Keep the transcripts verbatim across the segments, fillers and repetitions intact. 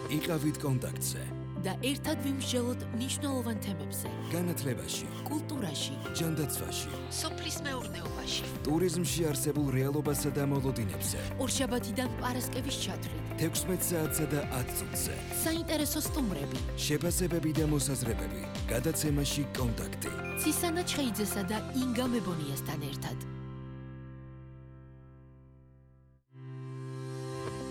იყავით კონტაქტზე და ერთად ვიმსჯელოთ მნიშვნელოვან თემებზე. განათლებაში, კულტურაში, ჯანდაცვაში, სოფლის მეურნეობაში, ტურიზმში არსებულ რეალობასა და მოლოდინებზე. ორშაბათიდან პარასკევის ჩათვლით, თექვსმეტ საათსა და ათ წუთზე. საინტერესო სტუმრები, შეფასებები და მოსაზრებები. გადაცემაში კონტაქტი. ცისანა ჩხეიძესა და ინგა მებონიასთან ერთად.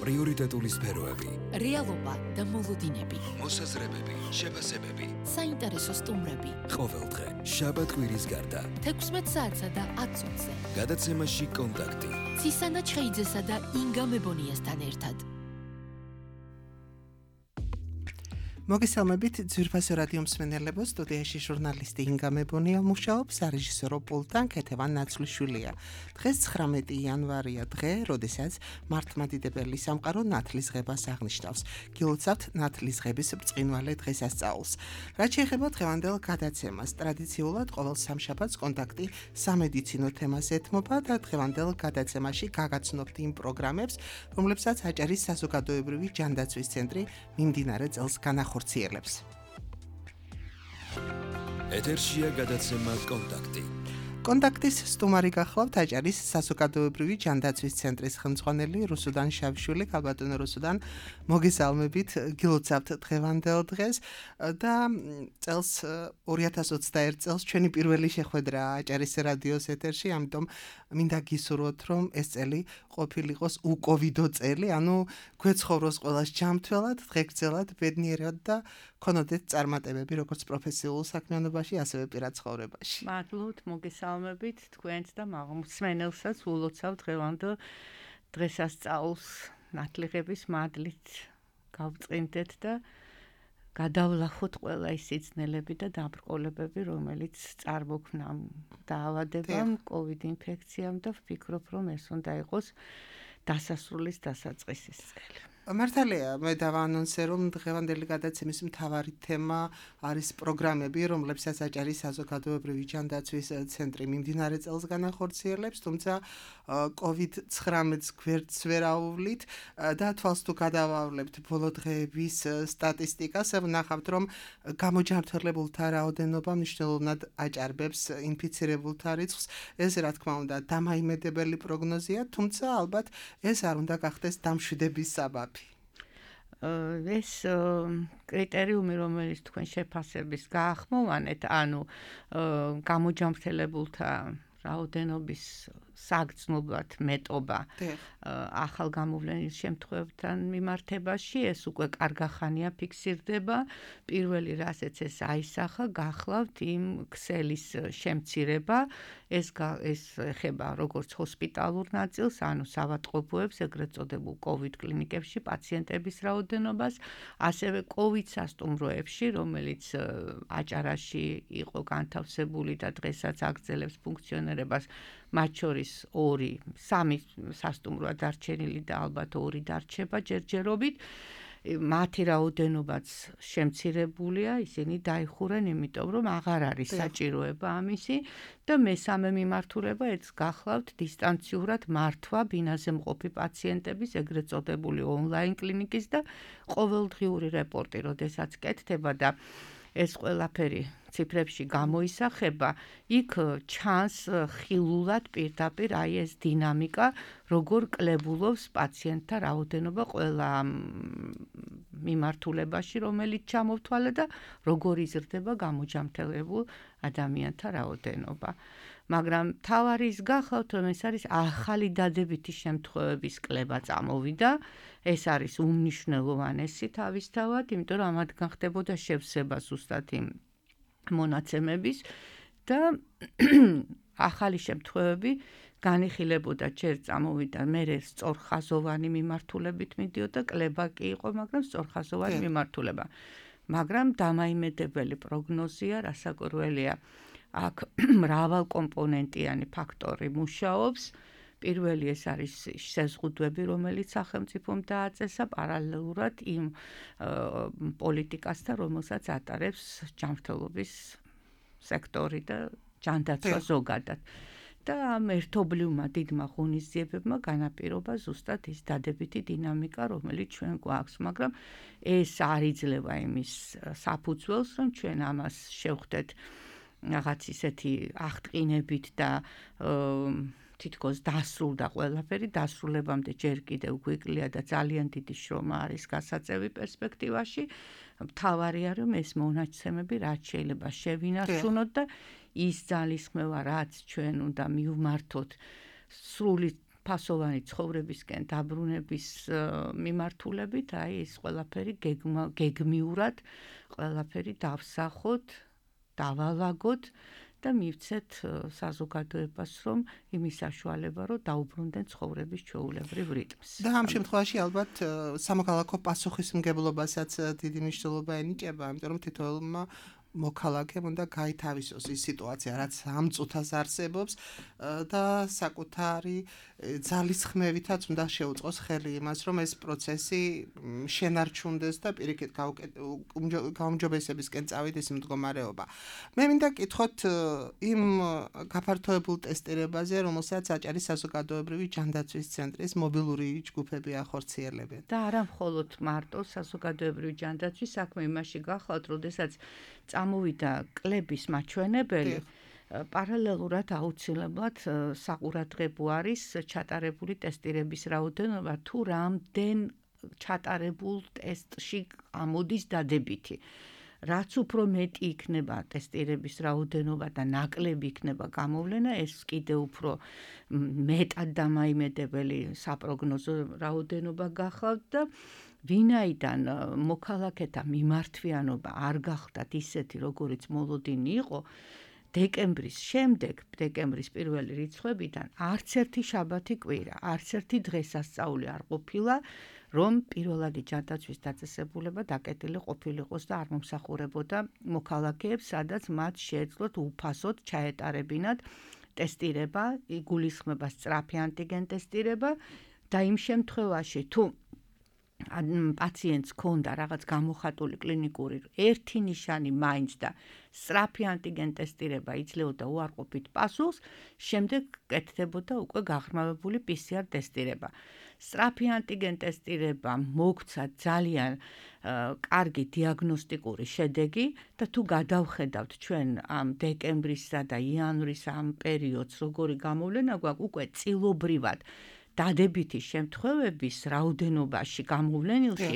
პრიორიტეტული სფეროები. რეალობა და მოლოდინები. მოსაზრებები, შეფასებები. საინტერესო სტუმრები. ყოველდღე, შაბათ-კვირის გარდა. თექვსმეტ საათსა და ათ წუთზე. გადაცემაში კონტაქტი. ცისანა ჩხეიძესა და ინგა მებონიასთან ერთად. მოგესალმებით ძვირფასო რადიო მსმენელებო, სტუდიაში ჟურნალისტი ინგა მებონია მუშაობს, სარეჟისორო პულტთან ქეთევან ნაცვლიშვილია. დღეს ცხრამეტი იანვარია, დღე, როდესაც მართლმადიდებელი სამყარო ნათლისღებას აღნიშნავს. გილოცავთ ნათლისღების ბრწყინვალე დღესასწაულს. რაც შეეხება დღევანდელ გადაცემას, ტრადიციულად ყოველ სამშაბათს კონტაქტი სამედიცინო თემას ეთმობა და დღევანდელ გადაცემაში გაგაცნობთ იმ პროგრამებს, რომლებსაც აჭარის საზოგადოებრივი ჯანდაცვის ცენტრი მიმდინარე წელს განახორციელებს. ეთერშია გადაცემა კონტაქტი. კონტაქტის სტუმარი გახლავთ აჭარის საზოგადოებრივი ჯანდაცვის ცენტრის ხელმძღვანელი რუსუდან შავშვილი. ქალბატონო რუსუდან, მოგესალმებით, გილოცავთ დღევანდელ დღეს და წელს ორი ათას ოცდაერთ წელს ჩვენი პირველი შეხვედრა აჭარის რადიოს ეთერში, ამიტომ მინდა გისურვოთ, რომ ეს წელი ყოფილიყოს უკოვიდო წელი, ანუ გვეცხოვროს ყველას ჯანმრთელად, დღეგრძელად, ბედნიერად და ქონოდეთ წარმატებები როგორც პროფესიულ საქმიანობაში, ასევე პირად ცხოვრებაში. მადლობთ, მოგესალმებით თქვენს და მსმენელსაც ულოცავ დღევანდელ დღესასწაულს ნათლიღების მადლით გავწყინდეთ და გადავლახოთ ყველა ის სიძნელები და დაბრკოლებები, რომელიც წარმოქმნა დაავადებამ, კოვიდ ინფექციამ და ვფიქრობ, რომ ეს უნდა იყოს დასასრულის დასაწყისის წელი. მართალია, მე დავაანონსე, რომ დღევანდელი გადაცემის მთავარი თემა არის პროგრამები, რომლებსაც აჭარის საზოგადოებრივი ჯანდაცვის ცენტრი მიმდინარე წელს განახორციელებს, თუმცა კოვიდ ცხრამეტს გვერდს ვერ აუვლით და თვალს თუ გადავავლებთ ბოლო დღეების სტატისტიკას, ვნახავთ, რომ გამოჯანმრთელებულთა რაოდენობა მნიშვნელოვნად აჭარბებს ინფიცირებულთა რიცხვს. ეს, რა თქმა უნდა, დამაიმედებელი პროგნოზია, თუმცა ალბათ ეს არ უნდა გახდეს დამშვიდების საბაბი. ეს კრიტერიუმი, რომელიც თქვენ შეფასების გაახმოვანეთ, ანუ გამოჯანმრთელებულთა რაოდენობის საგრძნობლად მეტობა ახალგამოვლენის შემთხვევებთან მიმართებაში, ეს უკვე კარგახანია ფიქსირდება. პირველი რასაც ეს აისახა, გახლავთ იმ ქსელის შემცირება, ეს ეს ეხება როგორც ჰოსპიტალურ ნაწილს, ანუ საავადმყოფოებს, ეგრეთ წოდებულ კოვიდ კლინიკებში პაციენტების რაოდენობას, ასევე კოვიდ სასტუმროებში, რომელიც აჭარაში იყო განთავსებული და დღესაც აგრძელებს ფუნქციონირებას, მათ შორის ორი, სამი სასტუმროა დარჩენილი და ალბათ ორი დარჩება ჯერჯერობით. მათი რაოდენობაც შემცირებულია, ისინი დაიხურენ, იმიტომ რომ აღარ არის საჭიროება ამისი და მესამე მიმართულება ეს გახლავთ დისტანციურად მართვა ბინაზე მყოფი პაციენტების, ეგრეთ წოდებული ონლაინ კლინიკის და ყოველდღიური რეპორტი, როდესაც კეთდება და ეს ყველაფერი ციფრებში გამოისახება, იქ ჩანს ხილულად პირდაპირ აი ეს დინამიკა, როგორ კლებულობს პაციენტთა რაოდენობა ყველა მიმართულებაში, რომელიც ჩამოვთვალე და როგორ იზრდება გამოჯანმრთელებულ ადამიანთა რაოდენობა. მაგრამ თავარი ის გახლავთ, რომ ეს არის ახალი დადებითი შემთხვევების კლება წამოვიდა, ეს არის უმნიშვნელოვანესი თავისთავად, იმიტომ რომ ამათგან ხდებოდა შევსება ზუსტად იმ მონაცემების და ახალი შემთხვევები განიხილებოდა, ჯერ წამოვიდა, მერე სწორხაზოვანი მიმართულებით მიდიოდა, კლება კი იყო, მაგრამ სწორხაზოვანი მიმართულება. მაგრამ დამაიმედებელი პროგნოზია, რასაკვირველია, აქ მრავალკომპონენტიანი ფაქტორი მუშაობს. პირველი ეს არის შეზღუდვები, რომელიც სახელმწიფომ დააწესა პარალელურად იმ პოლიტიკასთან, რომელსაც ატარებს ჯანმრთელობის სექტორი და ჯანდაცვა ზოგადად. და ამ ერთობლივმა დიდმა ღონისძიებებმა განაპირობა ზუსტად ის დადებითი დინამიკა, რომელიც ჩვენ გვაქვს, მაგრამ ეს არ იძლევა იმის საფუძველს, რომ ჩვენ ამას შევხვდეთ რაღაც ისეთი აღტყინებით და თითქოს დასრულდა ყველაფერი, დასრულებამდე ჯერ კიდევ გვიკლია და ძალიან დიდი შრომა არის გასაწევი პერსპექტივაში. მთავარია, რომ ეს მონაცემები რაც შეიძლება შევინარჩუნოთ და ის ძალისხმევა, რაც ჩვენ უნდა მივმართოთ სრული ფასოვანი ცხოვრებისკენ დაბრუნების მიმართულებით, აი ეს ყველაფერი გეგმიურად ყველაფერი დავსახოთ, დავალაგოთ და მივცეთ საზოგადოებას, რომ იმის საშუალება, რომ დაუბრუნდნენ ცხოვრების ჩვეულებრივ რიტმს. და ამ შემთხვევაში ალბათ სამოქალაქო პასუხისმგებლობასაც დიდი მნიშვნელობა ენიჭება, იმიტომ რომ თითოეულმა მოქალაქემ უნდა გაითავისოს ის სიტუაცია, რაც ამ წუთას არსებობს და საკუთარი ძალისხმევითაც უნდა შეუწყოს ხელი იმას, რომ ეს პროცესი შენარჩუნდეს და პირიქით გაუმჯობესებისკენ წავიდეს იმ მდგომარეობა. მე მინდა კითხოთ იმ გაფართოებულ ტესტირებაზე, რომელსაც აჭარის საზოგადოებრივი ჯანდაცვის ცენტრის მობილური ჯგუფები ახორციელებენ. და არა მხოლოდ მარტო საზოგადოებრივი ჯანდაცვის საქმე იმაში გახლავთ, როდესაც წამოვიდა კლების მაჩვენებელი, პარალელურად აუცილებლად საყურადღებო არის ჩატარებული ტესტირების რაოდენობა, თუ რამდენ ჩატარებულ ტესტში ამოდის დადებითი. რაც უფრო მეტი იქნება ტესტირების რაოდენობა და ნაკლები იქნება გამოვლენა, ეს კიდევ უფრო მეტად დამაიმედებელი საპროგნოზო რაოდენობა გახლავთ და ვინაიდან მოქალაქეთა მიმართვიანობა არ გახდათ ისეთი, როგორიც მოლოდინი იყო, დეკემბრის შემდეგ, დეკემბრის პირველი რიცხვებიდან არც ერთი შაბათი კვირა, არც ერთი დღესასწაული არ ყოფილა, რომ პირველადი ჯანდაცვის დაწესებულება დაკეტილი ყოფილიყოს და არ მომსახურებოდა მოქალაქეებს, სადაც მათ შეეძლოთ უფასოდ ჩაეტარებინათ ტესტირება, იგულისხმება სწრაფი ანტიგენ ტესტირება და იმ შემთხვევაში, თუ პაციენტს ქონდა რაღაც გამოხატული კლინიკური ერთი ნიშანი მაინც და სწრაფი ანტიგენ ტესტირება იძლეოდა უარყოფით პასუხს, შემდეგ კეთდებოდა უკვე გაღრმავებული პი სი არ ტესტირება. სწრაფი ანტიგენ ტესტირება მოგცა ძალიან კარგი დიაგნოსტიკური შედეგი და თუ გადავხედავთ ჩვენ ამ დეკემბრისა და იანვრის ამ პერიოდს, როგორი გამოვლენა გვაქვს, უკვე წილობრივად დადებითი შემთხვევების რაოდენობაში გამოვლენილში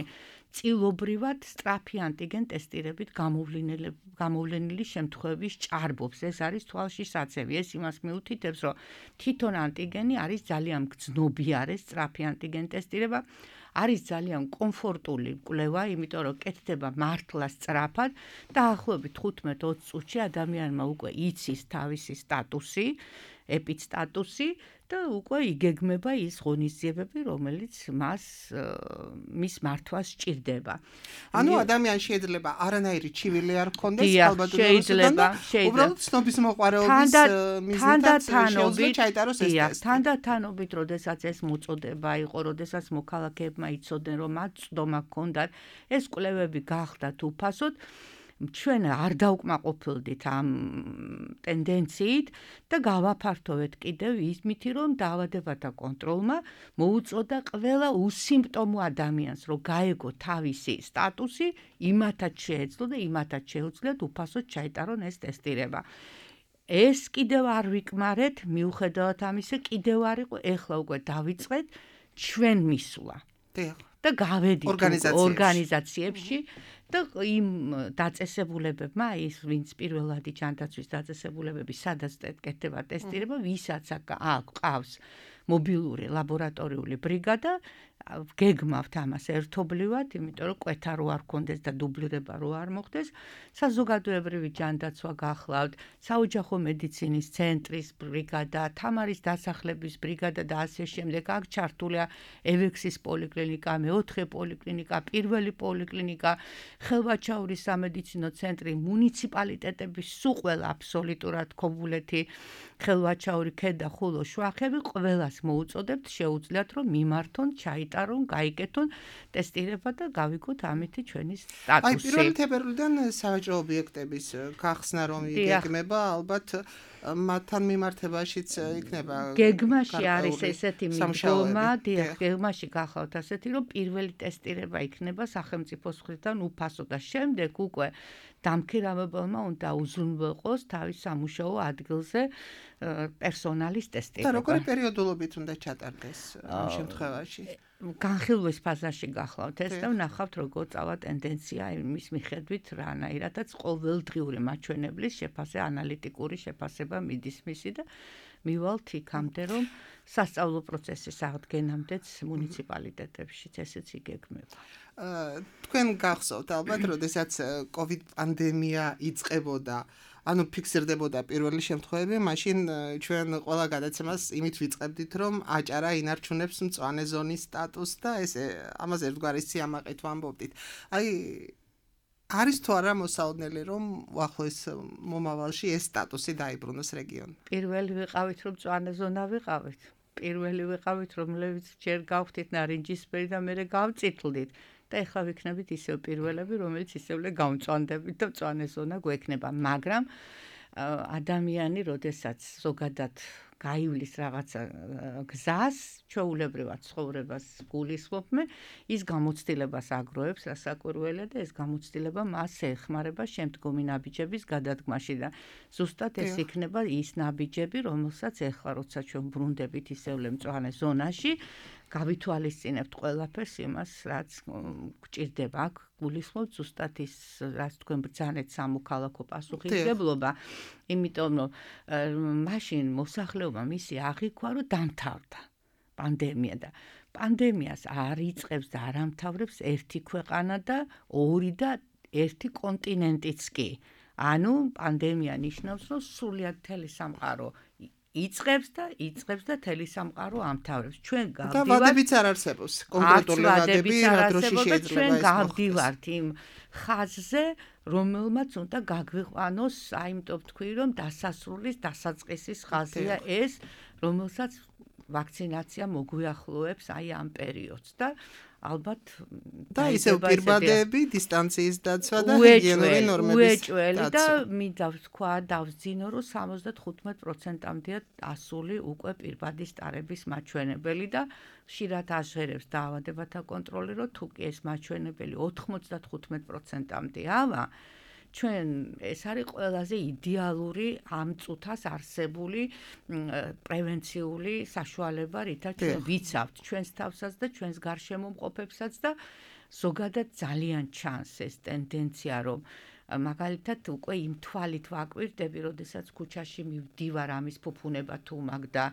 წილობრივად სწრაფი ანტიგენ ტესტირებით გამოვლენილი შემთხვევების ჭარბობს. ეს არის თვალში საცევი. ეს იმას მიუთითებს, რომ თვითონ ანტიგენი არის ძალიან გრძნობიარე სწრაფი ანტიგენ ტესტირება, არის ძალიან კომფორტული კვლევა, იმიტომ რომ კეთდება მართლა სწრაფად და ახლობით ხუთმეტ ოცი წუთში ადამიანმა უკვე იცის თავისი სტატუსი, ეპიდსტატუსი და უკვე იგეგმება ის ღონისძიებები, რომელიც მას მის მართვას სჭირდება. ანუ ადამიანს შეიძლება არანაირი ჩივილი არ ჰქონდეს, ალბათ შეიძლება, უბრალოდ ცნობის მოყვარეობის მიზნით შეუძლია ჩაიტაროს ეს ტესტი. თანდათანობით, როდესაც ეს მოწოდება იყო, როდესაც მოქალაქეებმა იცოდნენ, რომ მათ წვდომა ჰქონდათ, ეს კვლევები გახდათ უფასოდ, ჩვენ არ დავკმაყოფილდით ამ ტენდენციით და გავაფართოვეთ კიდევ იმითი, რომ დაავადებათა კონტროლმა მოუწოდა ყველა უსიმპტომო ადამიანს, რომ გაეგო თავისი სტატუსი, იმათაც შეეძლო და იმათაც შეუძლიათ უფასოდ ჩაიტარონ ეს ტესტირება. ეს კიდევ არ ვიკმარეთ, მიუხედავად ამისა, კიდევ არ იყო, ეხლა უკვე დავიწყეთ ჩვენ მისვლა. და გავედით ორგანიზაციებში და იმ დაწესებულებებმა, ის ვინც პირველადი ჯანდაცვის დაწესებულებები, სადაც კეთდება ტესტირება, ვისაც აქვს მობილური ლაბორატორიული ბრიგადა, გეგმავთ ამას ერთობლივად, იმიტომ რომ კვეთა რო არ ქონდეს და დუბლირება რო არ მოხდეს, საზოგადოებრივი ჯანდაცვა გახლავთ, საოჯახო მედიცინის ცენტრის ბრიგადა, თამარის დასახლების ბრიგადა და ასე შემდეგ. აქ ჩართულია ევექსის პოლიკლინიკა, მეოთხე პოლიკლინიკა, პირველი პოლიკლინიკა, ხელვაჩაურის სამედიცინო ცენტრი, მუნიციპალიტეტების სულ ყველა აბსოლუტურად ქობულეთი, ხელვაჩაური, ქედა, ხულო, შვახები, ყველას მოუწოდებთ, შეუძლიათ რომ მიმართონ, ჩაიტარონ გაატარონ, გაიგეთონ ტესტირება და გავიგოთ ამითი ჩვენი სტატუსი. აი პირველი თებერვლიდან სავაჭრო ობიექტების გახსნა რომ იგეგმება, ალბათ მათთან მიმართებაშიც იქნება გეგმაში არის ესეთი მიდგომა, დიახ, გეგმაში გახლავთ ასეთი, რომ პირველი ტესტირება იქნება სახელმწიფოს მხრიდან უფასო და შემდეგ უკვე დამქირავებელმა უნდა უზრუნველყოს თავის სამუშაო ადგილზე პერსონალის ტესტირება. და როგორი პერიოდულობით უნდა ჩატარდეს ამ შემთხვევაში? განხილვის ფაზაში გახლავთ ეს და ვნახავთ როგორ წავა ტენდენცია იმის მიხედვით რანაირადაც ყოველდღიური მაჩვენებლის შეფასება, ანალიტიკური შეფასება მიდის მისი და მივალთ იქამდე რომ სასწავლო პროცესის აღდგენამდეც მუნიციპალიტეტებშიც ესეც იგეგმება. თქვენ გახსოვთ ალბათ, როდესაც კოვიდ პანდემია იწყებოდა, ანუ ფიქსირდებოდა პირველი შემთხვევები, მაშინ ჩვენ ყველა გადაცემას იმით ვიწყებდით, რომ აჭარა ინარჩუნებს მწვანე ზონის სტატუსს და ეს ამაზე ერთგვარი სიამაყით ვამბობდით. აი არის თუ არა მოსაოდნელი რომ უახლოეს მომავალში ეს სტატუსი დაიბრუნოს რეგიონი? პირველი ვიყავით რომ მწვანე ზონა ვიყავით. პირველი ვიყავით რომლებიც ჯერ გავხდით ნარინჯისფერი და მერე გავწითლდით. და ეხლა ვიქნებით ისევ პირველები, რომელიც ისევ გამწვანდებით და მწვანე ზონა გვექნება, მაგრამ ადამიანი, როდესაც ზოგადად გაივლის რაღაცა გზას, ჩვეულებრივად ცხოვრებას გულისხმობ, ის გამოცდილებას აგროვებს რასაკვირველია და ეს გამოცდილება მას ეხმარება შემდგომი ნაბიჯების გადადგმაში და ზუსტად ეს იქნება ის ნაბიჯები, რომელსაც ეხლა როცა ჩვენ ბრუნდებით ისევ მწვანე ზონაში, გავითვალისწინებთ ყველაფერს იმას, რაც გჭირდება აქ გულისხმობთ ზუსტად ის, რაც თქვენ ბრძანეთ სამოქალაქო პასუხისმგებლობა, იმიტომ რომ მაშინ მოსახლეობა მისი აღიქვა, რომ დამთავრდა პანდემია და პანდემიას არ იწყებს და არ ამთავრებს ერთი ქვეყანა და ორი და ერთი კონტინენტიც კი. ანუ პანდემია ნიშნავს, რომ სრულად მთელი სამყარო იწყებს და იწყებს და თელი სამყარო ამთავრებს. ჩვენ გავდივართ და ვადებიც არ არსებობს. კონკრეტული ვადები რა დროში შეიძლება ეს ჩვენ გავდივართ იმ ხაზზე, რომელმაც უნდა გაგვიყვანოს, აიმიტომ თქვი რომ დასასრულის, დასაწყისის ხაზია ეს, რომელსაც ვაქცინაცია მოგვიახლოებს აი ამ პერიოდს და ალბათ და ისევ პირბადები, დისტანციის დაცვა და ჰიგიენური ნორმების უეჭველი და მინდა ვთქვა, დავძინო, რომ სამოცდათხუთმეტ პროცენტამდეა ასული უკვე პირბადის ტარების მაჩვენებელი და ხშირად აჟღერებს დაავადებათა კონტროლი, რომ თუ კი ეს მაჩვენებელი ოთხმოცდათხუთმეტ პროცენტამდე ავა, ჩვენ ეს არის ყველაზე იდეალური ამ წუთას არსებული პრევენციული საშუალება, რითაც ჩვენ ვიცავთ ჩვენს თავსაც და ჩვენს გარშემო მყოფებსაც და ზოგადად ძალიან ჩანს ეს ტენდენცია, რომ მაგალითად უკვე იმ თვალით ვაკვირდები, როდესაც ქუჩაში მივდივარ ამის ფუფუნება თუ მაგ და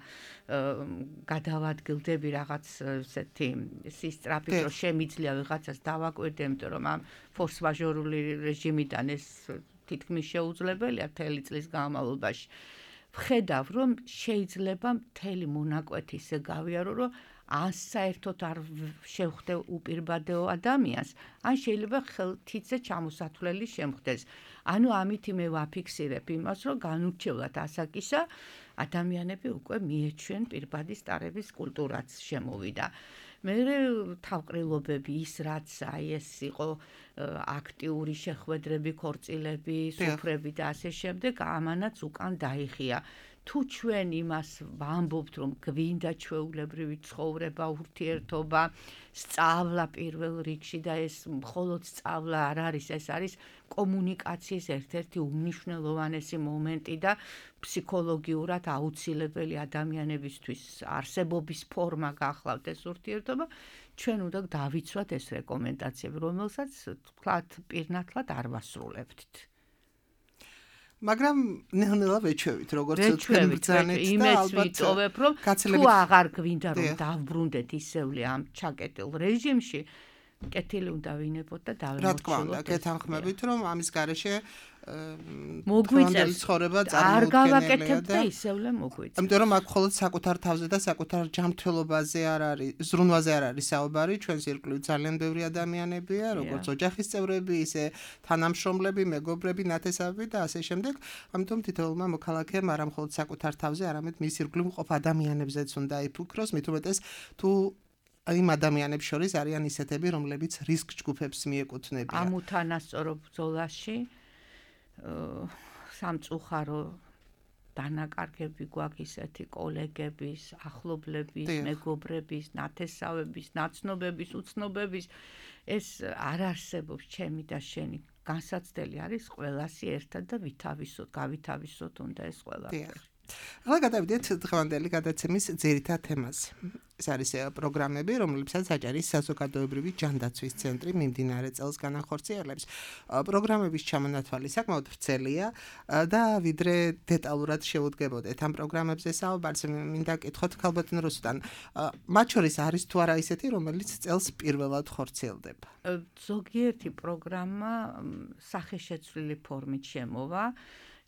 გადავადგილდები რაღაც ესეთი სისწრაფით, რომ შემიძლია ვიღაცას დავაკვირდე, იმიტომ რომ ამ ფორს მაჟორული რეჟიმიდან ეს თითქმის შეუძლებელია მთელი წლის განმავლობაში. ვხედავ, რომ შეიძლება მთელი მონაკვეთი ისე გავიარო, რომ ან საერთოდ არ შევხვდე უპირბადეო ადამიანს, ან შეიძლება ხელთითზე ჩამოსათვლელი შემხდეს. ანუ ამით მე ვაფიქსირებ იმას, რომ განურჩევლად ასაკისა ადამიანები უკვე მიეჩვენ პირბადის ტარების კულტურაც შემოვიდა. მე თავყრილობები ის რაც აი ეს იყო აქტიური შეხვედრები, ქორწილები, სუფრები და ასე შემდეგ, ამანაც უკან დაიხია. თუ ჩვენ იმას ვამბობთ, რომ გვინდა ჩვეულებრივი ცხოვრება, ურთიერთობა, სწავლა პირველ რიგში და ეს მხოლოდ სწავლა არ არის, ეს არის კომუნიკაციის ერთ-ერთი უმნიშვნელოვანესი მომენტი და ფსიქოლოგიურად აუცილებელი ადამიანებისთვის არსებობის ფორმა გახლავთ ეს ურთიერთობა, ჩვენ უნდა დავიცვათ ეს რეკომენდაციები, რომელსაც თქვათ პირნათლად არ ვასრულებთ. მაგრამ ნელ-ნელა ვეჩვევით, როგორც თქვენ ბრძანეთ და ალბათ ვიტოვებ, რომ თუ აღარ გვინდა რომ დავბრუნდეთ ისევლე ამ ჩაკეტილ რეჟიმში, კეთილი უნდა ვინებოთ და დავიმოჩილოთ. რა თქმა უნდა, გეთანხმებით, რომ ამის გარეშე მოგვიწევს ცხოვრება არ წარმოუდგენელია გავაკეთებ და ისევლე მოგვიწევს. იმიტომ რომ აქ მხოლოდ საკუთარ თავზე და საკუთარ ჯანმრთელობაზე არ არის, ზრუნვაზე არ არის საუბარი, ჩვენს ირგვლივ ძალიან ბევრი ადამიანებია, როგორც ოჯახის წევრები, ისე თანამშრომლები, მეგობრები, ნათესავები და ასე შემდეგ. ამიტომ თითოეულმა მოქალაქემ არა მხოლოდ საკუთარ თავზე, არამედ მის ირგვლივ მყოფ ადამიანებზეც უნდა იფიქროს, მით უმეტეს თუ იმ ადამიანებს შორის არიან ისეთები, რომლებიც რისკ ჯგუფებს მიეკუთვნებიან. ამ უთანასწორო ბრძოლაში სამწუხარო დანაკარგები გვაქვს ისეთი კოლეგების, ახლობლების, მეგობრების, ნათესავების, ნაცნობების, უცნობების ეს არ არსებობს ჩემი და შენი განსაცდელი არის ყველასი ერთად და ვითავისოთ, გავითავისოთ უნდა ეს ყველაფერი. ახლა გადავიდეთ დღევანდელი გადაცემის ძირითად თემაზე. ეს არის პროგრამები, რომლებსაც აჭარის საზოგადოებრივი ჯანდაცვის ცენტრი მიმდინარე წელს განახორციელებს. პროგრამების ჩამონათვალი საკმაოდ ვრცელია და ვიდრე დეტალურად შევუდგებოდეთ ამ პროგრამებზე საუბარს, მინდა კითხოთ ქალბატონ რუსუდან. მათ შორის არის თუ არა ისეთი, რომელიც წელს პირველად ხორციელდება? ზოგიერთი პროგრამა სახეშეცვლილი ფორმით შემოვა.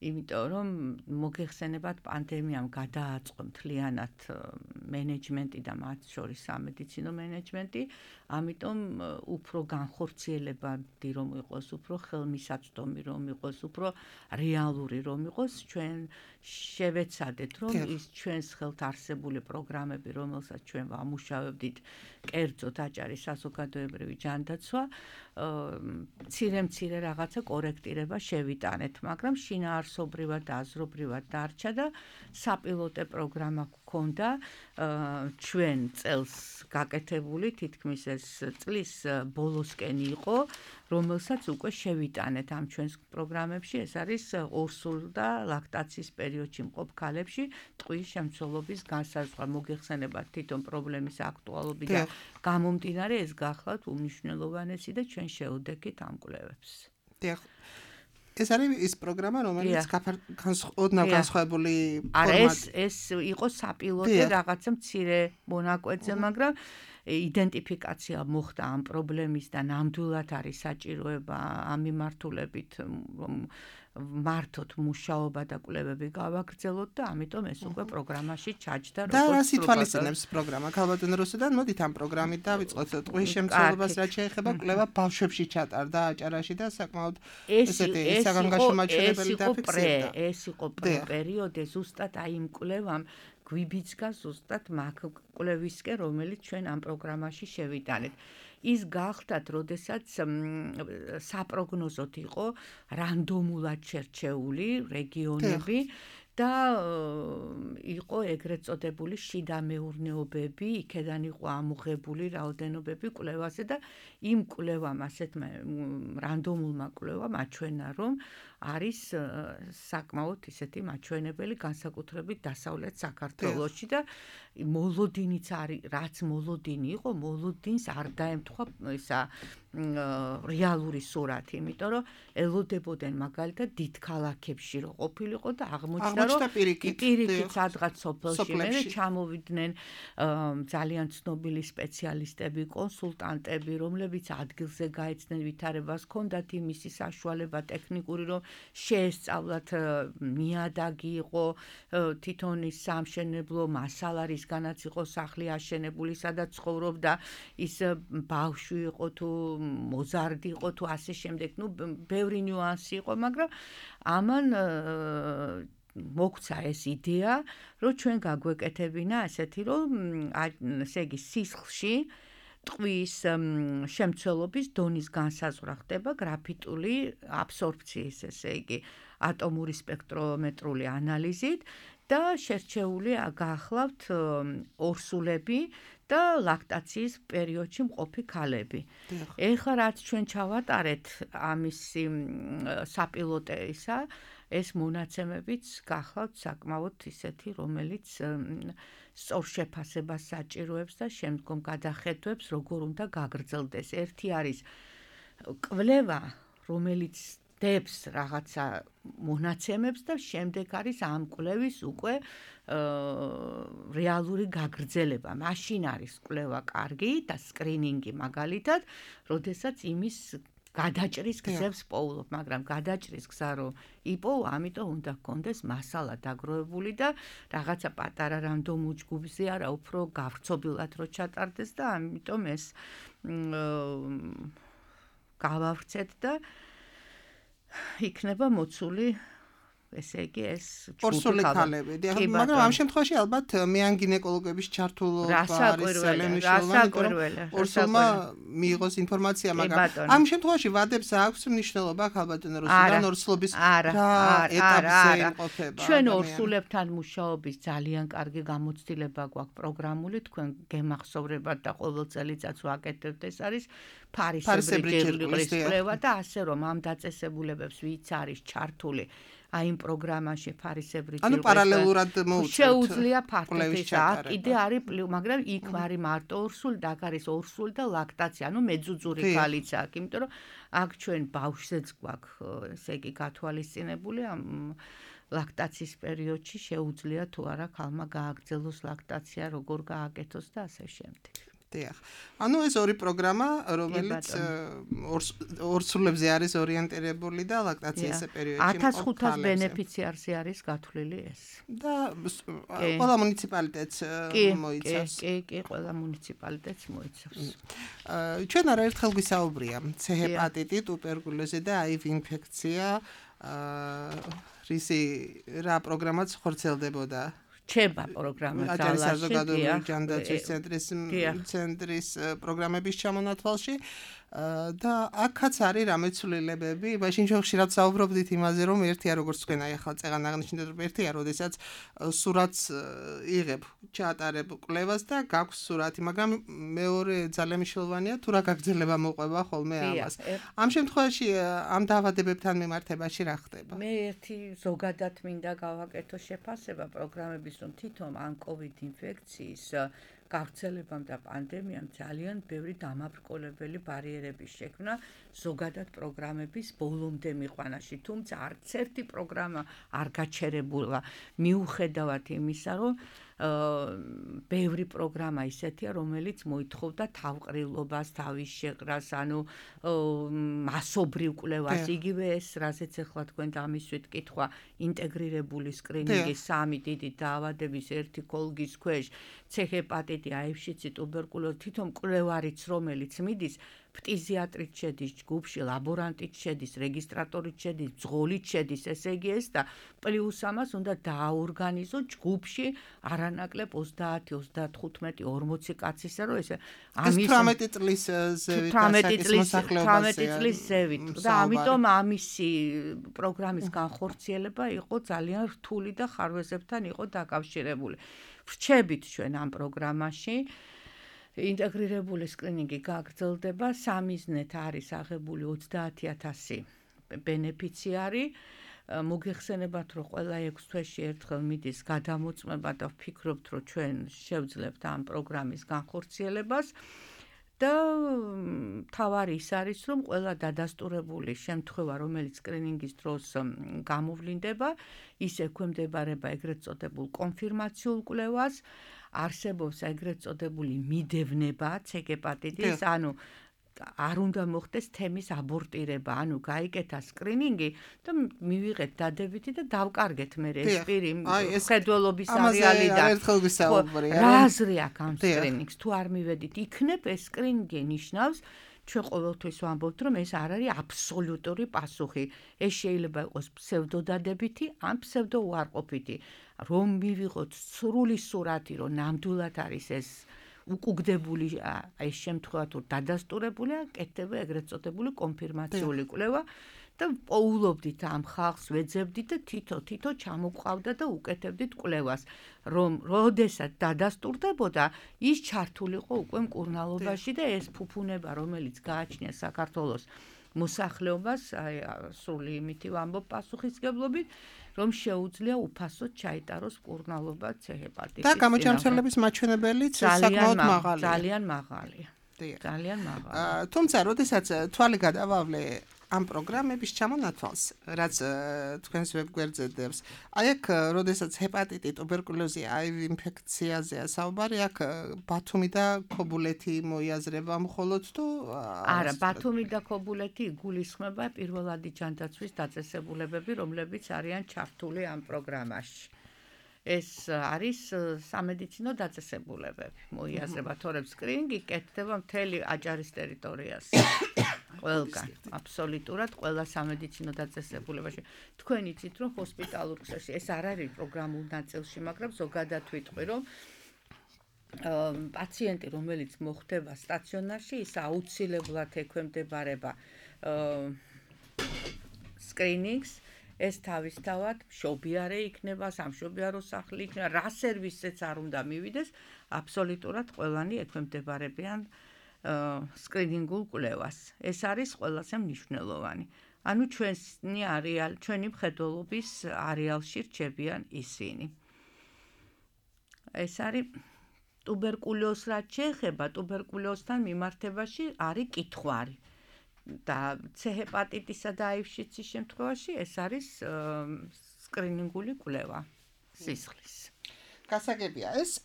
იმიტომ რომ მოგეხსენებათ პანდემიამ გადააწყო მთლიანად მენეჯმენტი და მათ შორის სამედიცინო მენეჯმენტი, ამიტომ უფრო განხორციელებადი რომ იყოს, უფრო ხელმისაწვდომი რომ იყოს, უფრო რეალური რომ იყოს, ჩვენ შევეცადეთ რომ ის ჩვენს ხელთ არსებული პროგრამები, რომელსაც ჩვენ ვამუშავებდით, კერძოდ აჭარის საზოგადოებრივი ჯანდაცვა, მცირე-მცირე რაღაცა კორექტირება შევიტანეთ, მაგრამ შინაარსობრივად და აზრობრივად დარჩა და საპილოტე პროგრამა გქონდა ჩვენ წელს გაკეთებული, თითქმის ეს წლის ბოლოსკენ იყო, რომელსაც უკვე შევიტანეთ ამ ჩვენს პროგრამებში, ეს არის ორსულ და ლაქტაციის პერიოდში მყოფ ქალებში ტყვის შემცველობის განსაზღვრა. მოგეხსენებათ თვითონ პრობლემის აქტუალობიდან გამომდინარე ეს გახლავთ უმნიშვნელოვანესი და ჩვენ შევდექით ამ კვლევებს. დიახ. ეს არის ის პროგრამა, რომელიც ოდნავ განსხვავებული არა, ეს ეს იყო საპილოტე რაღაცა მცირე მონაკვეთზე, მაგრამ იდენტიფიკაცია მოხდა ამ პრობლემის და ნამდვილად არის საჭიროება ამ მიმართულებით მართოთ მუშაობა და კვლევები გავაგრძელოთ და ამიტომ ეს უკვე პროგრამაში ჩაჯდა როგორც და რას ითვალისწინებს პროგრამა ქალბატონ რუსუდან? მოდით ამ პროგრამით დავიწყოთ ტყვის შემცველობას, რაც შეეხება კვლევა ბავშვებში ჩატარდა აჭარაში და საკმაოდ ესეთი საგანგაშო მაჩვენებელი დაფიქსირდა. ეს იყო პერიოდი ზუსტად აი იმ კვლევამ გვიბიძგა ზუსტად მაგ კვლევისკენ, რომელიც ჩვენ ამ პროგრამაში შევიტანეთ. ის გახდათ, როდესაც საპროგნოზოდ იყო რანდომულად შერჩეული რეგიონები და იყო ეგრეთ წოდებული შიდა მეურნეობები, იქედან იყო ამოღებული რაოდენობები კვლევაზე და იმ კვლევამ, ასეთ რანდომულმა კვლევამ აჩვენა, რომ არის საკმაოდ ისეთი მაჩვენებელი განსაკუთრებით დასავლეთ საქართველოში და მოლოდინიც არის, რაც მოლოდინი იყო, მოლოდინს არ დაემთხვა ისა რეალური სურათი, იმიტომ რომ ელოდებოდნენ მაგალითად დიდ ქალაქებში რო ყოფილიყო და აღმოჩნდა რომ პირიქით სადღაც სოფელში მე ჩამოვიდნენ ძალიან ცნობილი სპეციალისტები, კონსულტანტები, რომლებიც ადგილზე გაეცნენ ვითარებას, ჰქონდათ იმისი საშუალება ტექნიკური, რომ შეესწავლათ ნიადაგი იყო, თვითონ ის სამშენებლო მასალა, რისგანაც იყო სახლი აშენებული, სადაც ცხოვრობდა ის ბავშვი იყო თუ მოზარდი იყო თუ ასე შემდეგ, ну ბევრი ნიუანსი იყო, მაგრამ ამან მოგცა ეს იდეა, რომ ჩვენ გაგვეკეთებინა ასეთი, რომ ესე იგი სისხლში ტყვის შემცველობის დონის განსაზღვრა ხდება გრაფიტული აბსორბციის, ესე იგი ატომური სპექტრომეტრული ანალიზით და შერჩეული გახლავთ ორსულები და ლაქტაციის პერიოდში მყოფი ქალები. ეხლა რაც ჩვენ ჩავატარეთ ამის საპილოტე ისა, ეს მონაცემებიც გახლავთ საკმაოდ ისეთი, რომელიც სწორ შეფასებას საჭიროებს და შემდგომ გადახედვებს, როგორ უნდა გაგრძელდეს. ერთი არის კვლევა, რომელიც დებს რაღაცა მონაცემებს და შემდეგ არის ამ კვლევის უკვე რეალური გაგრძელება. მაშინ არის კვლევა კარგი და სკრინინგი მაგალითად, როდესაც იმის გადაჭრის გზებს პოულობ, მაგრამ გადაჭრის გზა რო იპოვ, ამიტომ უნდა გქონდეს მასალა დაგროვებული და რაღაცა პატარა რანდომულ ჯგუფზე არა, უფრო გავრცობილად რო ჩატარდეს და ამიტომ ეს გავავრცეთ და იქნება მოცული ესე იგი ეს ორსული ქალები. მაგრამ ამ შემთხვევაში ალბათ მეან გინეკოლოგების ჩართულობა არის ძალიან მნიშვნელოვანი. ორსულმა მიიღოს ინფორმაცია, მაგრამ ამ შემთხვევაში ვადებს აქვს მნიშვნელობა ალბათონ რუსიდან ორსულობის რა ეტაპზე იმყოფება. ჩვენ ორსულებთან მუშაობის ძალიან კარგი გამოცდილება გვაქვს პროგრამული, თქვენ გემახსოვრებათ და ყოველ წელიწადს ვაკეთებთ, ეს არის ფარისებრი ჯერგლის კვლევა და ასე რომ ამ დაწესებულებებს ვიც არის ჩართული აი იმ პროგრამაში ფარისებრი ჯერგლის. ანუ პარალელურად მოუწევთ. შეუძლია ფართობის აქ კიდე არის, მაგრამ იქ არის მარტო ორსული და აქ არის ორსული და ლაქტაცია, ანუ მეძუძური ქალიც აქვს, იმიტომ რომ აქ ჩვენ ბავშვზეც გვაქვს, ესე იგი გათვალისწინებული ამ ლაქტაციის პერიოდში შეუძლია თუ არა ქალმა გააგრძელოს ლაქტაცია, როგორ გააკეთოს და ასე შემდეგ. დიახ. ანუ ეს ორი პროგრამა, რომელიც ორსულებზე არის ორიენტირებული და ლაქტაციის პერიოდში ათას ხუთას ბენეფიციარზე არის გათვლილი ეს. და ყველა მუნიციპალიტეტს მოიცავს. კი, კი, ყველა მუნიციპალიტეტს მოიცავს. ჩვენ არაერთხელ გვისაუბრია ცე ჰეპატიტი, ტუბერკულოზი და აივ ინფექცია, რისი რა პროგრამაც ხორციელდებოდა. ჩება პროგრამა ძალაში საზოგადოებრივი ჯანდაცვის ცენტრის ცენტრის პროგრამების ჩამონათვალში და აქაც არის რამე ცვლილებები. მაშინ ჩვენ ხშირად საუბრობდით იმაზე, რომ ერთია როგორც თქვენ აი ახლა წეგან აღნიშნეთ, რომ ერთია, როდესაც სურათს იღებ, ჩაატარებ კვლევას და გაქვს სურათი, მაგრამ მეორე ძალიან მნიშვნელოვანია თუ რა გაგრძელება მოყვება ხოლმე ამას. ამ შემთხვევაში ამ დაავადებებთან მიმართებაში რა ხდება? მე ერთი ზოგადად მინდა გავაკეთო შეფასება პროგრამების, რომ თვითონ ამ COVID ინფექციის გავრცელებამ და პანდემიამ ძალიან ბევრი დამაბრკოლებელი ბარიერების შექმნა ზოგადად პროგრამების ბოლომდე მიყვანაში, თუმცა არც ერთი პროგრამა არ გაჩერებულა მიუხედავად იმისა, რომ ბევრი პროგრამა ისეთია, რომელიც მოითხოვდა თავყრილობას, თავის შეყრას, ანუ მასობრივ კვლევას, იგივე ეს, რაზეც ახლა თქვენ დამისვით კითხვა, ინტეგრირებული სკრინინგი, სამი დიდი დაავადების ერთი კოლგის ქვეშ, ცე ჰეპატიტი, აივ-შიცი, ტუბერკულოზი, თვითონ კვლევარიც, რომელიც მიდის, ფტიზიატრით შედის ჯგუფში, ლაბორანტით შედის, რეგისტრატორით შედის, ბრძოლით შედის, ესე იგი ეს და პლუს ამას უნდა დააორგანიზო ჯგუფში არანაკლებ ოცდაათი, ოცდათხუთმეტი, ორმოცი კაცისა, რომ ესე ამის თვრამეტი წლის ზევით თვრამეტი წლის ზევით და ამიტომ ამისი პროგრამის განხორციელება იყო ძალიან რთული და ხარვეზებთან იყო დაკავშირებული. ვრჩებით ჩვენ ამ პროგრამაში ინტეგრირებული სკრინინგი გაგრძელდება, სამიზნეთ არის აღებული ოცდაათი ათასი ბენეფიციარი. მოგეხსენებათ, რომ ყველა ექვს თვეში ერთხელ მიდის გადამოწმება და ვფიქრობთ, რომ ჩვენ შევძლებთ ამ პროგრამის განხორციელებას. და თავარი ის არის, რომ ყველა დადასტურებული შემთხვევა, რომელიც სკრინინგის დროს გამოვლინდება, ის ექვემდებარება ეგრეთ წოდებულ კონფირმაციულ კვლევას. არსებობს ეგრეთ წოდებული მიდევნება ცე ჰეპატიტის, ანუ არ უნდა მოხდეს თემის აბორტირება, ანუ გაიკეთა სკრინინგი და მივიღეთ დადებითი და დავკარგეთ მე ეს პირი ხედველობის არეალიდან. რა აზრი აქვს ამ სკრინინგს? თუ არ მივედით, იქნებ ეს სკრინინგი ნიშნავს, ჩვენ ყოველთვის ვამბობთ, რომ ეს არ არის აბსოლუტური პასუხი. ეს შეიძლება იყოს ფსევდოდადებითი ან ფსევდოუარყოფითი. რომ მივიღოთ სრული სურათი, რომ ნამდვილად არის ეს უკუგდებული ეს შემთხვევა თუ დადასტურებულია, კეთდება ეგრეთ წოდებული კონფირმაციული კვლევა და პოულობდით ამ ხალხს, ვეძებდით და თითო-თითო ჩამოყვავდა და უკეთებდით კვლევას, რომ როდესაც დადასტურდებოდა, ის ჩართულიყო უკვე მკურნალობაში და ეს ფუფუნება, რომელიც გააჩნია საქართველოს მოსახლეობას, აი სრული იმითი ვამბობ პასუხისგებლობით, რომ შეუძლია უფასოდ ჩაიტაროს მკურნალობა ცე ჰეპატიტის. და გამოჩამცველების მაჩვენებელიც საკმაოდ მაღალია. ძალიან მაღალია. ძალიან მაღალია. თუმცა, როდესაც თვალი გადავავლე ამ პროგრამების ჩამონათვალს, რაც თქვენს ვებგვერდზე დევს, აი აქ, როდესაც ჰეპატიტი, ტუბერკულოზი, აივ ინფექციაზეა საუბარი, აქ ბათუმი და ქობულეთი მოიაზრება მხოლოდ თუ არა, ბათუმი და ქობულეთი იგულისხმება პირველადი ჯანდაცვის დაწესებულებები, რომლებიც არიან ჩართული ამ პროგრამაში. ეს არის სამედიცინო დაწესებულებები. მოიაზრება თორემ სკრინინგი კეთდება მთელი აჭარის ტერიტორიას. ყველგან, აბსოლუტურად ყველა სამედიცინო დაწესებულებაში. თქვენ იცით, რომ ჰოსპიტალურ ქსელში ეს არ არის პროგრამულ ნაწილში, მაგრამ ზოგადად ვიტყვი, რომ პაციენტი, რომელიც მოხდება სტაციონარში, ის აუცილებლად ექვემდებარება სკრინინგს. ეს თავისთავად მშობიარე იქნება, სამშობიარო სახლი იქნება, რა სერვისზეც არ უნდა მივიდეს, აბსოლუტურად ყველანი ექვემდებარებიან სკრინინგულ კვლევას. ეს არის ყველაზე მნიშვნელოვანი. ანუ ჩვენი არეალი, ჩვენი მხედველობის არეალში რჩებიან ისინი. ეს არის ტუბერკულოზს რაც შეეხება, ტუბერკულოზთან მიმართებაში არის კითხვარი. და C ჰეპატიტისა და აივ-შიცის შემთხვევაში ეს არის სკრინინგული კვლევა სისხლის. გასაგებია, ეს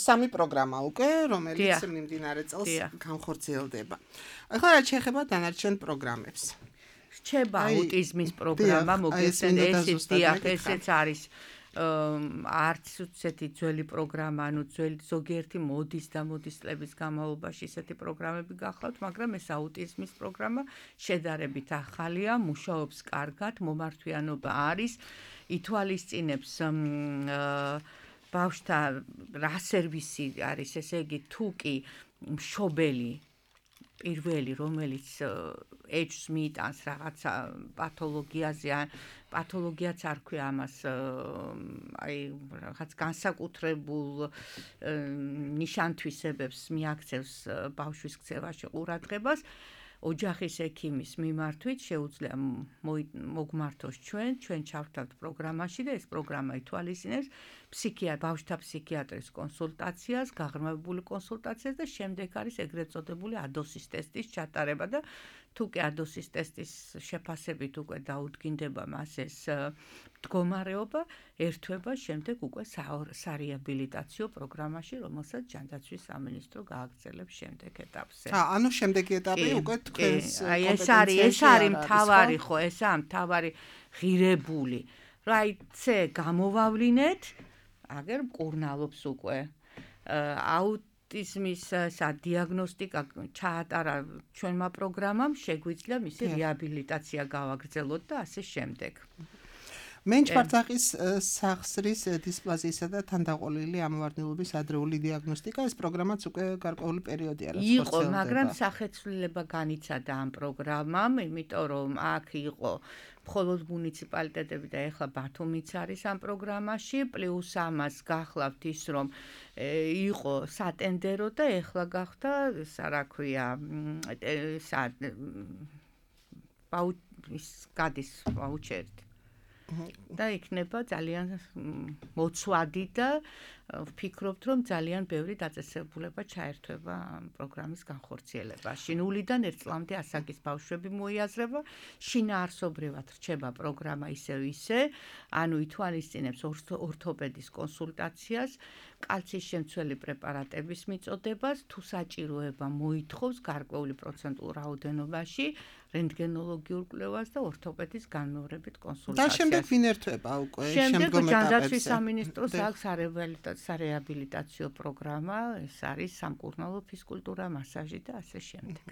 სამი პროგრამა უკვე, რომელიც მიმდინარე წელს განხორციელდება. ახლა რაც შეეხება დანარჩენ პროგრამებს. რჩება აუტიზმის პროგრამა, მოგესმენთ, ესეც დიახ, ესეც არის არც უცეთი ძველი პროგრამა, ანუ ძველი ზოგიერთი მოდის და მოდის წლების განმავლობაში ესეთი პროგრამები გახლავთ, მაგრამ ეს აუტიზმის პროგრამა შედარებით ახალია, მუშაობს კარგად, მომართვიანობა არის, ითვალისწინებს ბავშვთა რა სერვისი არის, ესე იგი, თუ კი მშობელი პირველი, რომელიც ეჭვს მიიტანს რაღაცა პათოლოგიაზე, პათოლოგიაც არ ქვია ამას, აი რაღაც განსაკუთრებულ ნიშანთვისებებს მიაქცევს ბავშვის ქცევაში ყურადღებას, ოჯახის ექიმის მიმართვით შეუძლია მოგმართოს ჩვენ, ჩვენ ჩავთავთ პროგრამაში და ეს პროგრამა ითვალისწინებს ფსიქიატრ, ბავშვთა ფსიქიატრის კონსულტაციას, გაღრმავებული კონსულტაციას და შემდეგ არის ეგრეთ წოდებული ადოსის ტესტის ჩატარება და თუ კი ადოსის ტესტის შეფასებით უკვე დაუდგინდება მას ეს მდგომარეობა, ერთვება შემდეგ უკვე სარეაბილიტაციო პროგრამაში, რომელსაც ჯანდაცვის სამინისტრო გააგრძელებს შემდეგ ეტაპზე. ა, ანუ შემდეგი ეტაპი უკვე თქვენს აი ეს არის, ეს არის მთავარი ხო, ესაა მთავარი ღირებული. რა აი C გამოვავლინეთ, აგერ მკურნალობს უკვე. აუტიზმის სადიაგნოსტიკა ჩაატარა ჩვენმა პროგრამამ, შეგვიძლია მისი რეაბილიტაცია გავაგრძელოთ და ასე შემდეგ. მენჩვარცახის სახსრის დისპლაზიისა და თანდაყოლილი ამოვარდნილობის ადრეული დიაგნოსტიკა, ეს პროგრამაც უკვე გარკვეული პერიოდი არის იყო, მაგრამ სახეცვლილება განიცადა ამ პროგრამამ, იმიტომ რომ აქ იყო მხოლოდ მუნიციპალიტეტები და ეხლა ბათუმიც არის ამ პროგრამაში, პლუს ამას გახლავთ ის, რომ იყო სატენდერო და ეხლა გახდა, რა ქვია, გადის ვაუჩერი. და იქნება ძალიან მოცვადი და ვფიქრობთ, რომ ძალიან ბევრი დაწესებულება ჩაერთვება ამ პროგრამის განხორციელებაში. ნულიდან ერთ წლამდე ასაკის ბავშვები მოიაზრება, შინაარსობრივად რჩება პროგრამა ისევ ისე, ანუ ითვალისწინებს ორთოპედის კონსულტაციას, კალცის შემცველი პრეპარატების მიწოდებას, თუ საჭიროება მოითხოვს გარკვეული პროცენტულ რაოდენობაში რენტგენოლოგიურ კვლევას და ორთოპედის განმეორებით კონსულტაციას. და შემდეგ ვინ ერთვება უკვე შემდეგ ჯანდაცვის სამინისტროს აქვს სარეაბილიტაციო პროგრამა, ეს არის სამკურნალო ფიზკულტურა, მასაჟი და ასე შემდეგ.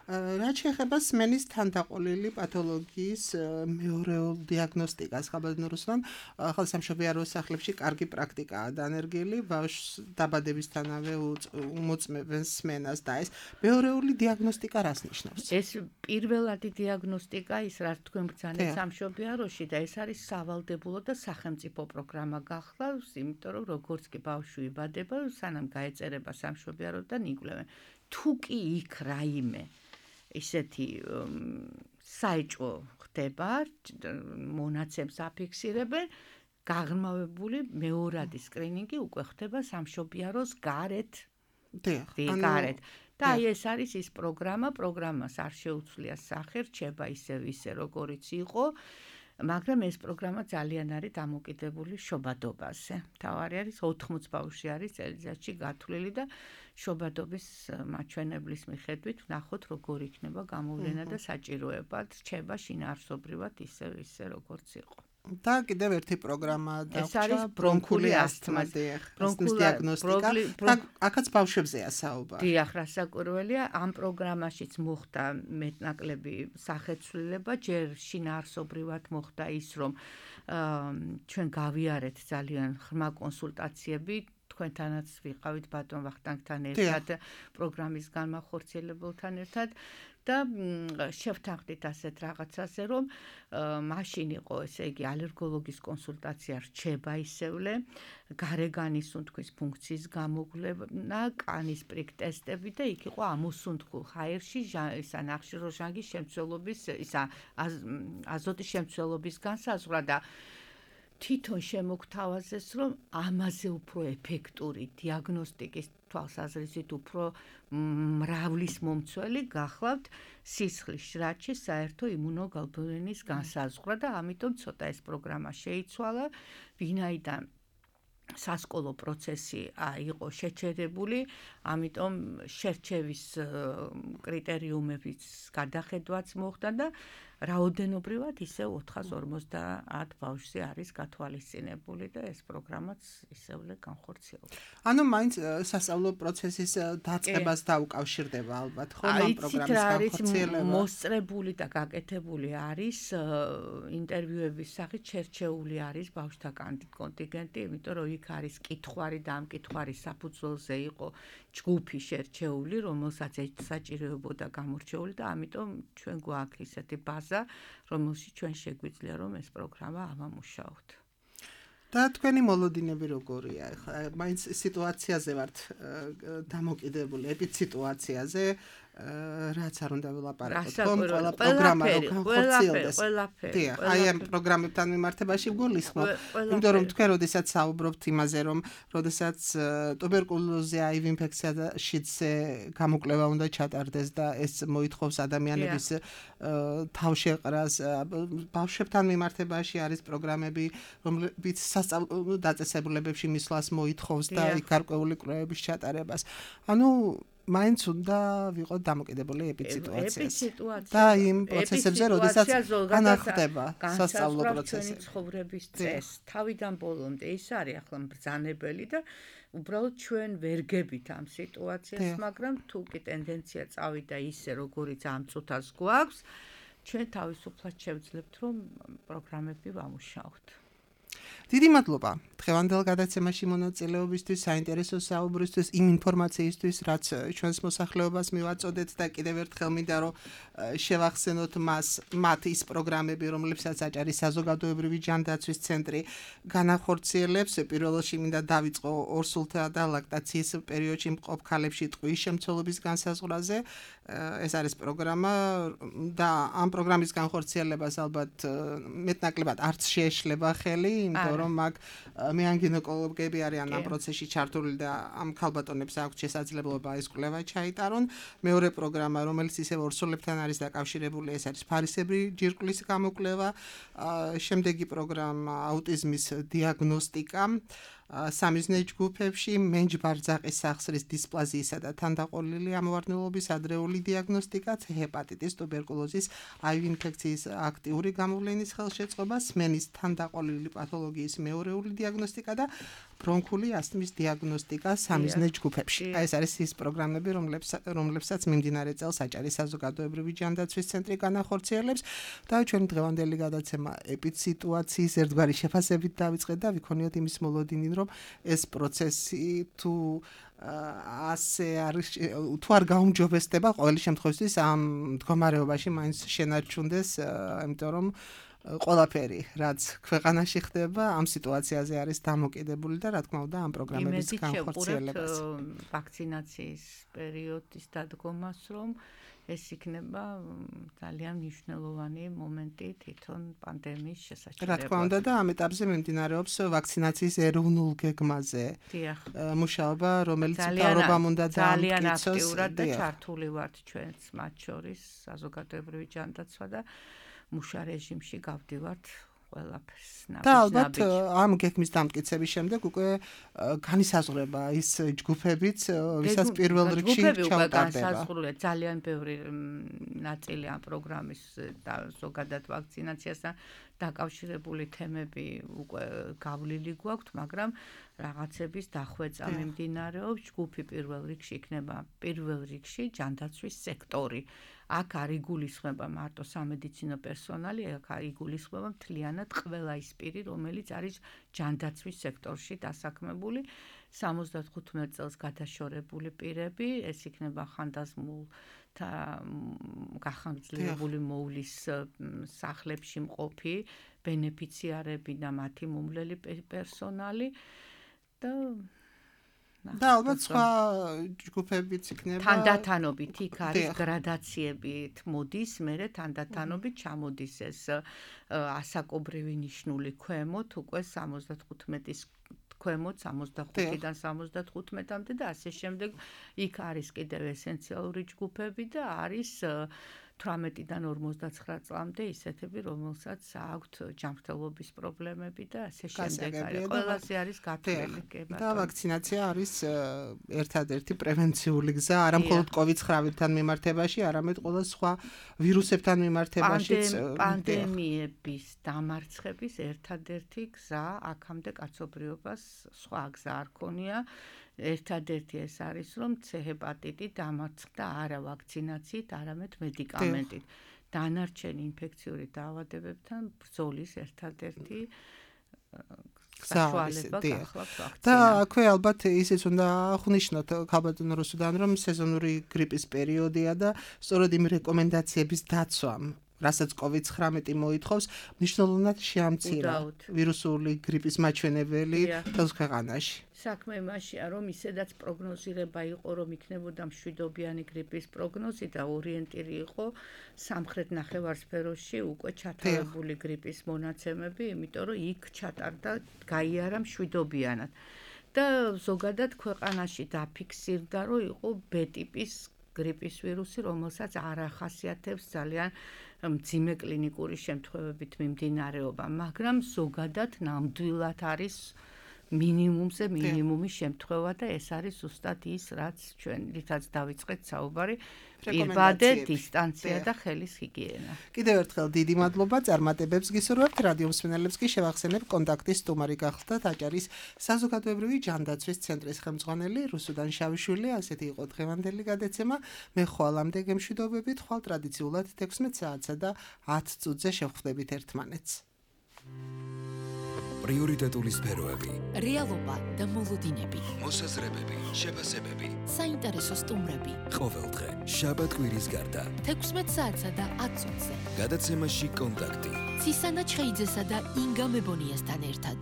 რაც შეეხება სმენის თანდაყოლილი პათოლოგიის მეორეულ დიაგნოსტიკას, ხალხურ რუსლან, ახალ სამშობიარო სახლებში კარგი პრაქტიკაა დანერგილი, ბავშვს დაბადებისთანავე უმოწმებენ სმენას და ეს მეორეული დიაგნოსტიკა რას ნიშნავს? ეს პირველადი დიაგნოსტიკა ის რაც თქვენ ბრძანეთ სამშობიაროში და ეს არის სავალდებულო და სახელმწიფო პროგრამა გახლავს, იმიტომ რომ როგორც კი ბავშვი იბადება, სანამ გაეწერება სამშობიაროდან იკვლევენ. თუ კი იქ რაიმე ისეთი საეჭვო ხდება, მონაცემს აფიქსირებენ, გაღრმავებული მეორადი სკრინინგი უკვე ხდება სამშობიაროს გარეთ. დიახ, გარეთ. და აი ეს არის ის პროგრამა, პროგრამას არ შეუძლია სახე, რჩება ისევ ისე, როგორიც იყო, მაგრამ ეს პროგრამა ძალიან არის დამოკიდებული შობადობაზე. მთავარი არის ოთხმოც ბავშვი არის წელიწადში გათვლილი და შობადობის მაჩვენებლის მიხედვით ვნახოთ როგორ იქნება გამოვლენა და საჭიროება რჩება შინაარსობრივად ისევ ისე, როგორც იყო. და კიდევ ერთი პროგრამა დაგვჭა ბრონქული ასთმა. ბრონქული დიაგნოსტიკა და აქაც ბავშვებზეა საუბარი. დიახ, რასაკვირველია, ამ პროგრამაშიც მოხდა მეტნაკლები სახეცვლილება, ჯერ შინაარსობრივად მოხდა ის, რომ ჩვენ გავიარეთ ძალიან ღრმა კონსულტაციები, თქვენთანაც ვიყავით ბატონ ვახტანგთან ერთად, პროგრამის განმახორციელებელთან ერთად და შევთანხმდით ასეთ რაღაცაზე, რომ მაშინ იყო, ესე იგი, ალერგოლოგის კონსულტაცია რჩება ისევლე, გარეგანის უთქვის ფუნქციის გამოგვლენა, კანის პრიკ ტესტები და იქ იყო ამოსუნთქულ ჰაერში ისა ნახშირორჟანგის შემცველობის, ისა აზოტის შემცველობის განსაზღვრა და თვითონ შემოგთავაზეს, რომ ამაზე უფრო ეფექტური დიაგნოსტიკის თვალსაზრისით უფრო მრავლის მომცველი გახლავთ სისხლის შრაჩი საერთო იმუნოგლობულინის განსაზღვრა და ამიტომ ცოტა ეს პროგრამა შეიცვალა, ვინაიდან სასკოლო პროცესი იყო შეჩერებული, ამიტომ შერჩევის კრიტერიუმების გადახედვაც მოხდა და რაოდენობრივად ისე ოთხას ორმოცდაათ ბავშვზე არის გათვალისწინებული და ეს პროგრამაც ისევლე განხორციელდა. ანუ მაინც სასწავლო პროცესის დაწყებას დაუკავშირდება ალბათ, ხო, ამ პროგრამის განხორციელება. მოსწრებული და გაკეთებული არის ინტერვიუების სახით შერჩეული არის ბავშვთა კონტინგენტი, იმიტომ რომ იქ არის კითხვარი და ამ კითხვის საფუძველზე იყო ჯგუფი შერჩეული, რომელსაც საჭიროებოდა გამორჩეული და ამიტომ ჩვენ გვაქვს ისეთი ბაზა, რომელშიც ჩვენ შეგვიძლია რომ ეს პროგრამა ავამუშაოთ. და თქვენი მოლოდინები როგორია? მაინც სიტუაციაზე ვართ დამოკიდებული, ეპიციტუაციაზე, რაც არ უნდა ვილაპარაკოთ, ხომ, ყველა პროგრამა რო განხორციელდეს. დიახ, აი ამ პროგრამებთან მიმართებაში გულისხმობ, იმიტომ რომ თქვენ როდესაც საუბრობთ იმაზე, რომ როდესაც ტუბერკულოზზე, აივ ინფექციაშიც გამოკვლევა უნდა ჩატარდეს და ეს მოითხოვს ადამიანების თავშეყრას, ბავშვებთან მიმართებაში არის პროგრამები, რომლებიც სასწავლო დაწესებულებებში მისვლას მოითხოვს და იქ გარკვეული კვლევების ჩატარებას. ანუ მაინც უნდა ვიყოთ დამოკიდებული ეპიციტუაციაზე. და იმ პროცესებზე, როდესაც განახდება სასწავლო პროცესი. ცხოვრების წესს თავიდან ბოლომდე ის არის ახლა მბრძანებელი და უბრალოდ ჩვენ ვერ გებით ამ სიტუაციას, მაგრამ თუ კი ტენდენცია წავიდა ისე, როგორიც ამ წუთას გვაქვს, ჩვენ თავისუფლად შევძლებთ, რომ პროგრამები ვამუშაოთ. დიდი მადლობა დღევანდელ გადაცემაში მონაწილეობისთვის, საინტერესო საუბრისთვის, იმ ინფორმაციისთვის, რაც ჩვენს მოსახლეობას მივაწოდეთ და კიდევ ერთხელ მინდა რომ შევახსენოთ მას მათ ის პროგრამები, რომლებსაც აჭარის საზოგადოებრივი ჯანდაცვის ცენტრი განახორციელებს. პირველ რიგში მინდა დავიწყო ორსულთა და ლაქტაციის პერიოდში მყოფ ქალებში ტყვის შემცველობის განსაზღვრაზე. ეს არის პროგრამა და ამ პროგრამის განხორციელებას ალბათ მეტნაკლებად არც შეეშლება ხელი, იმიტომ რომ მაგ მეან გინეკოლოგები არიან ამ პროცესში ჩართული და ამ ქალბატონებს აქვს შესაძლებლობა ეს კვლევა ჩაიტარონ. მეორე პროგრამა, რომელიც ისევ ორსულებთან არის დაკავშირებული, ეს არის ფარისებრი ჯირკვლის გამოკვლევა. შემდეგი პროგრამა აუტიზმის დიაგნოსტიკა. სამიზნე ჯგუფებში მენჯ-ბარძაყის სახსრის დისპლაზიისა და თანდაყოლილი ამოვარდნილობის ადრეული დიაგნოსტიკა, ჰეპატიტის, ტუბერკულოზის, აივ ინფექციის აქტიური გამოვლენის ხელშეწყობა, სმენის თანდაყოლილი პათოლოგიის მეორეული დიაგნოსტიკა და ბრონქული ასთმის დიაგნოსტიკა სამიზნე ჯგუფებში. აი ეს არის ის პროგრამები, რომლებსაც მიმდინარე წელს აჭარის საზოგადოებრივი ჯანდაცვის ცენტრი განახორციელებს და ჩვენი დღევანდელი გადაცემა ეპიციტუაციის ერთგვარი შეფასებით დავიწყეთ და ვიქონიოთ იმის მოლოდინი, რომ ეს პროცესი თუ ასე არის თუ არ გაუმჯობესდება ყოველი შემთხვევაში ამ მდგომარეობაში მაინც შენარჩუნდეს, იმიტომ რომ ყველაფერი, რაც ქვეყანაში ხდება, ამ სიტუაციაზე არის დამოკიდებული და რა თქმა უნდა ამ პროგრამების განხორციელებას. ვაქცინაციის პერიოდის დადგომას, რომ ეს იქნება ძალიან მნიშვნელოვანი მომენტი თვითონ პანდემიის შესაჩერებლად. რა თქმა უნდა და ამ ეტაპზე მიმდინარეობს ვაქცინაციის ეროვნულ გეგმაზე მუშაობა, რომელიც მთავრობამ უნდა დაამტკიცოს. ძალიან აქტიურად და ჩართული ვართ ჩვენც მათ შორის საზოგადოებრივი ჯანდაცვა და მუშა რეჟიმში გავდივართ ყველაფერს და ალბათ ამ გეგმის დამტკიცების შემდეგ უკვე განისაზღვრება ის ჯგუფებიც, ვისაც პირველ რიგში ჩაუტარდება. განისაზღვრულია ძალიან ბევრი ნაწილი ამ პროგრამის და ზოგადად ვაქცინაციასთან დაკავშირებული თემები უკვე გავლილი გვაქვთ, მაგრამ რაღაცების დახვეწა მიმდინარეობს. ჯგუფი პირველ რიგში იქნება პირველ რიგში ჯანდაცვის სექტორი. აქ არ იგულისხმება მარტო სამედიცინო პერსონალი, აქ არ იგულისხმება მთლიანად ყველა ის პირი, რომელიც არის ჯანდაცვის სექტორში დასაქმებული. სამოცდათხუთმეტ წელს გადაშორებული პირები, ეს იქნება ხანდაზმულთა გახანგრძლივებული მოვლის სახლებში მყოფი ბენეფიციარები და მათი მომვლელი პერსონალი და და ალბათ სხვა ჯგუფებიც იქნება. თანდათანობით იქ არის გრადაციებით მოდის, მერე თანდათანობით ჩამოდის ეს ასაკობრივი ნიშნული ქვემოთ, უკვე სამოცდათხუთმეტის ქვემოთ, სამოცდახუთიდან სამოცდათხუთმეტამდე და ასე შემდეგ. იქ არის კიდევ ესენციალური ჯგუფები და არის თვრამეტიდან ორმოცდაცხრა წლამდე ისეთები, რომელსაც აქვთ ჯანმრთელობის პრობლემები და ასე შემდეგ. ყველასე არის გათვლილი. და ვაქცინაცია არის ერთადერთი პრევენციული გზა, არა მხოლოდ კოვიდ ცხრამეტთან მიმართებაში, არამედ ყველა სხვა ვირუსებთან მიმართებაშიც. პანდემიების დამარცხების ერთადერთი გზა აქამდე კაცობრიობას სხვა გზა არ ქონია. ერთადერთი ეს არის, რომ C ჰეპატიტი დამარცხდა არა ვაქცინაციით, არამედ მედიკამენტით. დანარჩენი ინფექციური დაავადებებთან ბრძოლის ერთადერთი საშუალება გახლავთ ვაქცინა. და აქვე ალბათ ისიც უნდა აღნიშნოთ ქალბატონ რუსუდან, რომ სეზონური გრიპის პერიოდია და სწორედ იმ რეკომენდაციების დაცვამ, რასაც კოვიდ ცხრამეტი მოითხოვს, მნიშვნელოვნად შეამცირა ვირუსული გრიპის მაჩვენებელი მთელს ქვეყანაში. საქმე იმაშია, რომ ისედაც პროგნოზირება იყო, რომ იქნებოდა მშვიდობიანი გრიპის პროგნოზი და ორიენტირი იყო სამხრეთ ნახევარსფეროში უკვე ჩათარებული გრიპის მონაცემები, იმიტომ რომ იქ ჩატარდა გაიარა მშვიდობიანად. და ზოგადად ქვეყანაში დაფიქსირდა, რომ იყო B ტიპის გრიპის ვირუსი, რომელსაც არ ახასიათებს ძალიან მძიმე კლინიკური შემთხვევებით მიმდინარეობა, მაგრამ ზოგადად ნამდვილად არის მინიმუმზე მინიმუმის შემთხვევა და ეს არის ზუსტად ის, რაც ჩვენ რითაც დავიწყეთ საუბარი, პირბადე, დისტანცია და ხელის ჰიგიენა. კიდევ ერთხელ დიდი მადლობა, წარმატებებს გისურვებთ, რადიო მსმენელებს კი შევახსენებ, კონტაქტის სტუმარი გახლდათ აჭარის საზოგადოებრივი ჯანდაცვის ცენტრის ხელმძღვანელი რუსუდან შავიშვილი. ასეთი იყო დღევანდელი გადაცემა. მე ხვალამდე გემშვიდობებით, ხვალ ტრადიციულად თექვსმეტ საათსა და ათ წუთზე შევხვდებით ერთმანეთს. პრიორიტეტული სფეროები, რეალობა და მოლოდინები, მოსაზრებები, შეფასებები, საინტერესო სტუმრები. ყოველდღე, შაბათ-კვირის გარდა, თექვსმეტ საათსა და ათ წუთზე. გადაცემაში კონტაქტი. ცისანა ჩხეიძესა და ინგა მებონიასთან ერთად.